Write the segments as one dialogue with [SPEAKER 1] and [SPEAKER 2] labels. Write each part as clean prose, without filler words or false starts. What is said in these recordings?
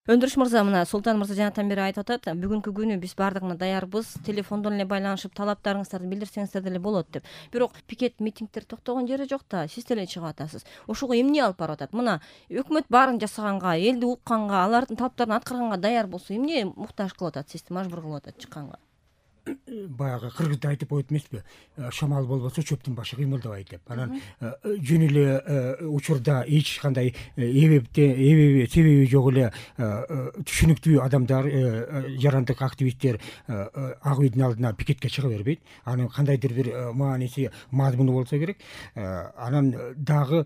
[SPEAKER 1] Өндүрүш мырза, мына Султан мырза жанатан бери айтып атат, бүгүнкү күнү биз бардыгына даярбыз, телефондон эле байланышып талаптарыңыздарды билдирсеңиздер деле болот деп. Бирок пикет митингдер токтогон жери жок да, сиз деле чыгып атасыз. Ошого эмне алып барып атат? Мына өкмөт баарын жасаганга, элди укканга, алардын талаптарын аткарганга даяр болсо, эмне муктаж кылып атат сизди, мажбур кылып атат чыкканга?
[SPEAKER 2] Баягы кыргызда айтып коет эмеспи, шамал болбосо чөптүн башы кыймылдабай деп. Анан жөн эле учурда эч кандай себеби жок эле түшүнүктүү адамдар, жарандык активисттер ак үйдүн алдына пикетке чыга бербейт. Анын кандайдыр бир мааниси, мазмуну болсо керек. Анан дагы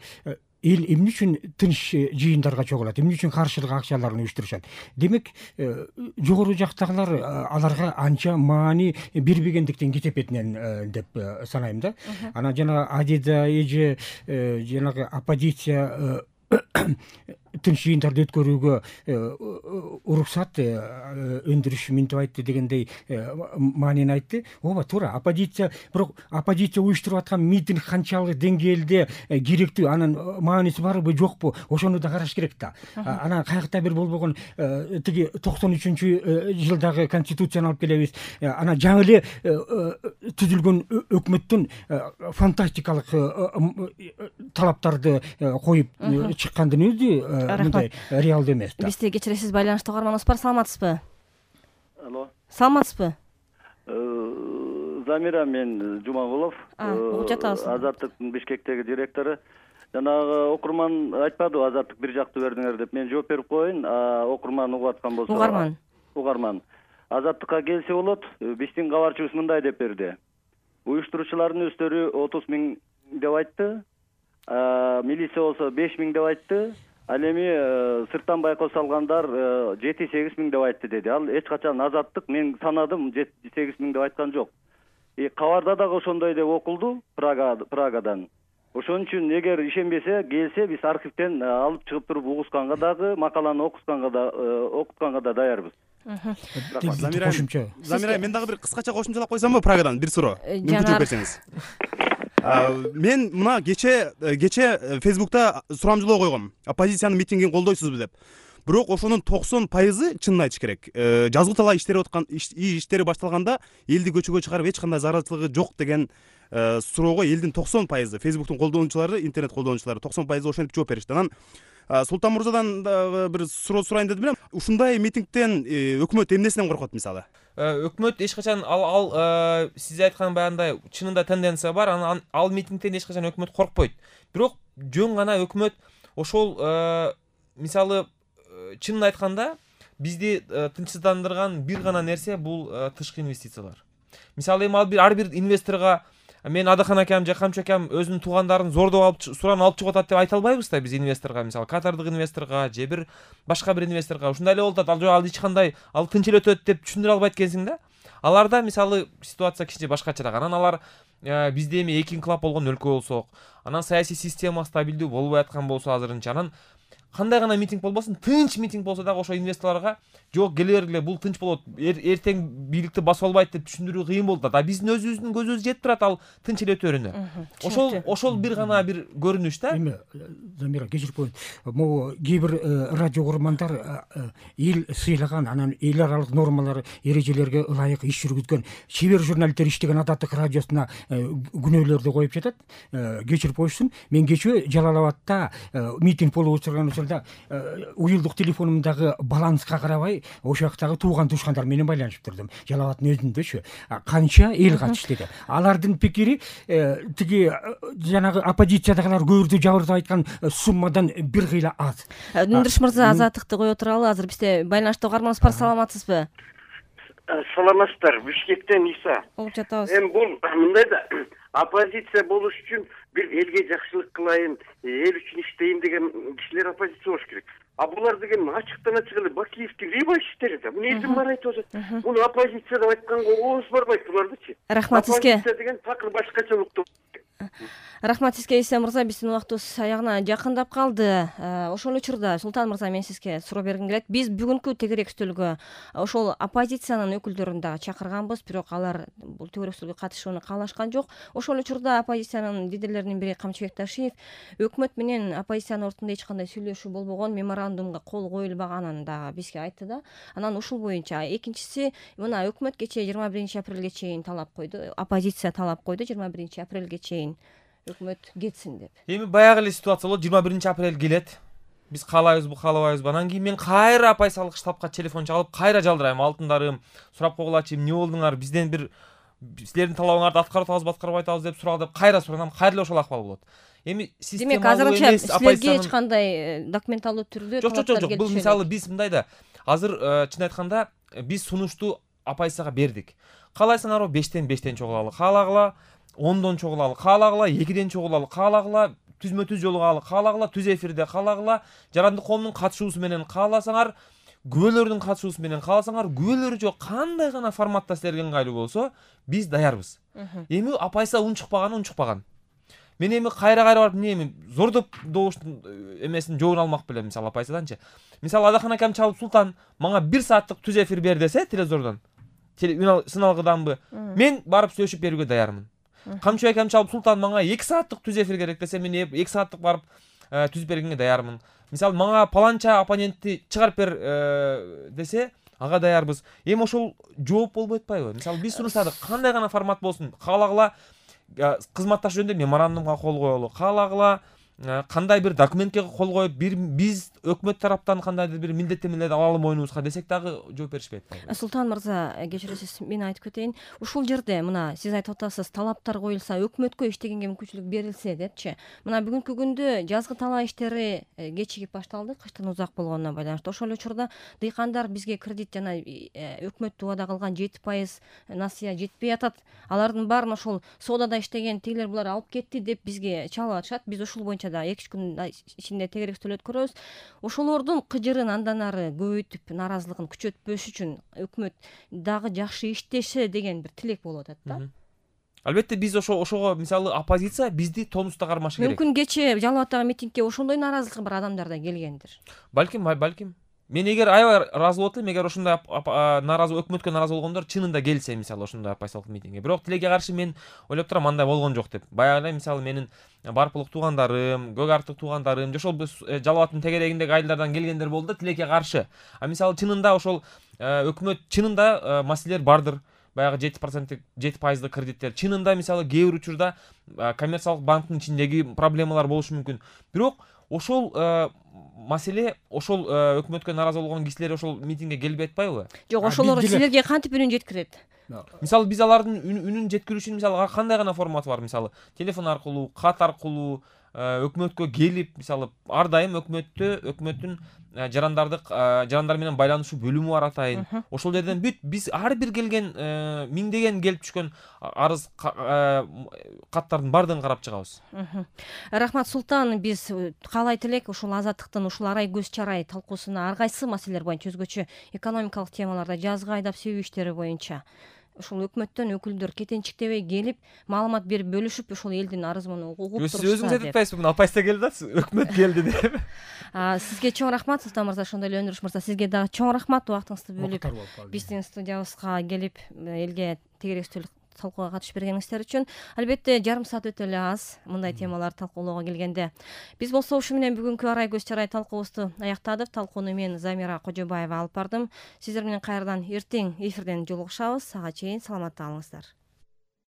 [SPEAKER 2] эл эмне үчүн тынч жыйындарга чогулат, эмне үчүн каршылык акчаларын уюштурушат? Демек, жогору жактагылар аларга анча маани бербегендиктен кетепетинен деп санайм да. Анан жана Адида эже жанагы оппозиция тынч жыйындарды өткөрүүгө уруксат өндүрүш минтип айтты дегендей маанини айтты. Ооба, туура. Бирок оппозиция уюштуруп аткан митинг канчалык деңгээлде керектүү, анын мааниси барбы жокпу, ошону да караш керек да. Анан каякта бир болбогон тиги 93-жылдагы конституцияны алып келебиз. Анан жаңы эле түзүлгөн өкмөттүн фантастикалык талаптарды коюп чыккандын өзү мындай реалдуу эмес да.
[SPEAKER 1] Бизди кечиресиз, байланышта каарманыбыз бар, саламатсызбы?
[SPEAKER 3] Алло.
[SPEAKER 1] Саламатсызбы?
[SPEAKER 3] Замира, мен Жумагулов.
[SPEAKER 1] Угуп жатабыз.
[SPEAKER 3] Азаттыктын Бишкектеги директору. Жанагы окурман айтпадыбы, Азаттык бир жактуу бердиңер деп. Мен жооп берип коеюн. Окурман угуп аткан болсо. Угарман. Азаттыкка келсе болот. Биздин кабарчыбыз мындай деп берди. Уюштуруучулардын өздөрү 30 000 деп айтты. Милиция болсо 5 000 деп айтты. Ал эми сырттан байкоо салгандар 7-8 000 деп айтты деди. Ал эч качан Азаттык мен санадым 7-8 000 деп айткан жок. Кабарда дагы ошондой деп окулду Прагадан. Ошон үчүн эгер ишенбесе, келсе биз архивден алып чыгып туруп угусканга дагы, макаланы окутканга да даярбыз.
[SPEAKER 4] Замира, мен дагы бир кыскача кошумчалап койсомбу Прагадан бир суроо? Мүмкүн жооп берсеңиз. Мен мына кече Facebook'та сурамжылоо койгом. Оппозициянын митингин колдойсузбу деп. Бирок ошонун 90%, чынын айтыш керек, жазгы талаа иштери башталганда элди көчөгө чыгарып эч кандай зарарчылыгы жок деген суроого элдин 90%, Facebook'тун колдонуучулары, интернет колдонуучулары 90% ошентип жооп беришти. Анан Султан мырзадан бир суроо сурайын дедим эле. Ушундай митингден өкмөт эмнесинен коркот мисалы?
[SPEAKER 5] Өкмөт эч качан ал сиз айткан баягындай чынында тенденция бар, анан ал митингден эч качан өкмөт коркпойт. Бирок жөн гана өкмөт ошол мисалы чынын айтканда бизди тынчсыздандырган бир гана нерсе бул тышкы инвестициялар. Мисалы эми ар бир инвесторго мен Адахан акам же Камчы акам өзүнүн туугандарын зордоп алып суран алып чыгып атат деп айта албайбыз да биз инвесторго, мисалы катардык инвесторго же бир башка бир инвесторго ушундай эле болуп атат. Ал эч кандай тынч эле өтөт деп түшүндүрө албайт экенсиң да. Аларда мисалы ситуация кичине башкачараак. Анан алар бизде эми эки инкылап болгон өлкө болсок, анан саясий система стабилдүү болбой аткан болсо азырынча, анан кандай гана митинг болбосун, тынч митинг болсо дагы ошо инвесторлорго жок, келе бергиле, бул тынч болот, эртең бийликти басып албайт деп түшүндүрүү кыйын болот да. Биздин өзүбүздүн көзүбүз жетип турат ал тынч эле өтөрүнө. Ошол бир гана бир көрүнүш да.
[SPEAKER 2] Эми Замира, кечирип коеюн. Могу кээ бир радио курмандар эл сыйлаган, анан эл аралык нормалар, эрежелерге ылайык иш жүргүзгөн чебер журналисттер иштеген Азаттык радиосуна күнөөлөрдү коюп жатат. Кечирип коюшсун. Мен кечээ Жалал Абадта митинг болуп отурган учурда уюлдук телефонумдагы баланска карабай ошол жактагы тууган тушкандар менен байланышып турдум. Жалал Абадтын өзүндөчү канча эл катышты деп. Алардын пикири тиги жанагы оппозициядагылар көрдү жабырды айткан суммадан бир кыйла аз.
[SPEAKER 1] Өндүрүш мырза, Азаттыкты кое туралы. Азыр бизде байланышта каарманыбыз бар, саламатсызбы?
[SPEAKER 6] Саламатсыздар, Бишкектен Иса.
[SPEAKER 1] Угуп жатабыз.
[SPEAKER 6] Эми бул мындай да, оппозиция болуш үчүн бир элге жакшылык кылайын, эл үчүн иштейин деген кишилер оппозиция болуш керек. А булар деген ачыктан ачык эле Бакиевдин рыба иштери да. Муну элдин баары айтып атат. Муну оппозиция деп айтканга ооз барбайт булардычы.
[SPEAKER 1] Рахмат сизге.
[SPEAKER 6] Оппозиция деген такыр башкачалыктуу.
[SPEAKER 1] Рахмат сизге Иса мырза, биздин убактыбыз аягына жакындап калды. Ошол учурда Султан мырза, мен сизге суроо бергим келет. Биз бүгүнкү тегерек стөлгө ошол оппозициянын өкүлдөрүн дагы чакырганбыз, бирок алар бул тегерек стөлгө катышууну каалашкан жок. Ошол учурда оппозициянын лидерлеринин бири Камчыбек Ташиев өкмөт менен оппозициянын ортунда эч кандай сүйлөшүү болбогон, меморандумга кол коюлбаганын дагы бизге айтты да. Анан ушул боюнча экинчиси, мына өкмөт кечээ 21 апрелге чейин талап койду, оппозиция талап койду 21 апрелге чейин өкмөт кетсин деп.
[SPEAKER 5] Эми баягы эле ситуация болот. 21 апрель келет. Биз каалайбызбы, каалабайбызбы? Анан кийин мен кайра оппозициялык штабка телефон чалып, кайра жалдырайм. Алтындарым, сурап койгулачы, эмне болдуңар? Бизден бир силердин талабыңарды аткарып атабызбы, аткарбай атабыз деп сурап кайра суранам. Кайра эле ошол акыбал болот. Эми система
[SPEAKER 1] демек азырынча силерге эч кандай документалдуу түрдө
[SPEAKER 5] талаптар келип, бул мисалы биз мындай да, азыр чын айтканда биз сунушту оппозицияга бердик. Каалайсыңарбы 5-тен чогулалы, каалагыла 10дон чогулалы, каалагыла 2ден чогулалы, каалагыла түзмө-түз жолугалы, каалагыла түз эфирде, каалагыла жарандык коомдун катышуусу менен, кааласаңар күбөлөрдүн катышуусу менен, кааласаңар күбөлөрү жок кандай гана форматта силерге ыңгайлуу болсо, биз даярбыз. Эми оппозиция унчукпаган. Мен эми кайра барып эми зордоп добуштун эмесин жообун алмак белем, мисалы оппозицияданчы. Мисалы Адакан акам чалып, Султан мага 1 сааттык түз эфир бер десе, телевизордон, сыналгыданбы, мен барып сүйлөшүп берүүгө даярмын. Камчыбек акам чалып, Султан мага 2 сааттык түз эфир керек десе, мен 2 сааттык барып түзүп бергенге даярмын. Мисалы мага паланча оппонентти чыгарып бер десе, ага даярбыз. Эми ошол жооп болбой атпайбы? Мисалы биз сунуштадык, кандай гана формат болсун, каалагыла кызматташ жөнүндө меморандумга кол коелу, каалагыла кандай бир документке кол коюп, биз өкмөт тараптан кандайдыр бир милдеттенмелерди алалы мойнубузга десек дагы жооп беришпейт.
[SPEAKER 1] Султан мырза, кечиресиз, мен айтып кетейин. Ушул жерде мына сиз айтып атасыз, талаптар коюлса, өкмөткө иштегенге мүмкүнчүлүк берилсе депчи. Мына бүгүнкү күндө жазгы талаа иштери кечигип башталды, кыштын узак болгонуна байланыштуу. Ошол учурда дыйкандар бизге кредит жана өкмөт убада кылган 7% насыя жетпей атат. Алардын баарын ошол соодада иштеген тигилер булар алып кетти деп бизге чалып атышат. Биз ушул боюнча да 2 күн ичинде тегерек стөл өткөрөбүз. Ошолордун кыжырын андан ары көбөйтүп, нааразылыгын күчөтпөш үчүн өкмөт дагы жакшы иштеше деген бир тилек болуп атат да.
[SPEAKER 5] Албетте биз ошого мисалы оппозиция бизди тонуста кармашы керек.
[SPEAKER 1] Мүмкүн кечээ Жалал Абадтагы митингге ошондой нааразылык бар адамдар да келгендир.
[SPEAKER 5] Балким. Мен эгер аябай ыраазы болот элем, эгер ошондой нааразы өкмөткө нааразы болгондор чынында келсе, мисалы ошондой оппозициялык митингге. Бирок тилекке каршы мен ойлоп турам, андай болгон жок деп. Баягы мисалы менин Барпылык туугандарым, Көк Арыктык туугандарым, ошол Жалал Абадтын тегерегиндеги айылдардан келгендер болду да тилекке каршы. Мисалы чынында ошол өкмөт чынында маселелер бардыр. Баягы 7% кредиттер чынында мисалы кээ бир учурда коммерциялык банктын ичиндеги проблемалар болушу мүмкүн. Бирок ошол маселе ошол өкмөткө нааразы болгон кишилер ошол митингге келбей атпайбы?
[SPEAKER 1] Жок, ошолор силерге кантип үнүн жеткирет?
[SPEAKER 5] Мисалы биз алардын үнүн жеткирүү үчүн мисалы кандай гана формат бар, мисалы телефон аркылуу, кат аркылуу өкмөткө келип, мисалы ар дайым өкмөттүн жарандар менен байланышуу бөлүмү бар атайын. Ошол жерден биз ар бир келген миңдеген келип түшкөн арыз каттардын баардыгын карап чыгабыз.
[SPEAKER 1] Рахмат Султан, биз каалайт элек ушул азаттыктын ушул арай көз чарай талкуусуна ар кайсы маселелер боюнча, өзгөчө экономикалык темаларда, жазгы айдап себүү иштери боюнча ушул өкмөттөн өкүлдөр кетенчиктебей келип, маалымат берип бөлүшүп, ушул элдин арызын угуп турушса деп.
[SPEAKER 5] Өзүңүз айтып атпайсызбы, бүгүн оппозиция келди да, өкмөт келди деп.
[SPEAKER 1] Сизге чоң рахмат, Султан мырза, ошондой эле Өндүрүш мырза, сизге дагы чоң рахмат убактыңызды бөлүп биздин студиябызга келип элге тегерек стөл талкууга катышып бергениңиздер үчүн. Албетте жарым саат өтө эле аз мындай темаларды талкуулоого келгенде. Биз болсо ушу менен бүгүнкү арай көз чарай талкуубузду аяктадык. Талкууну мен Замира Кожобаева алып бардым. Сиздер менен кайрадан эртең эфирден жолугушабыз. Ага чейин саламатта калыңыздар.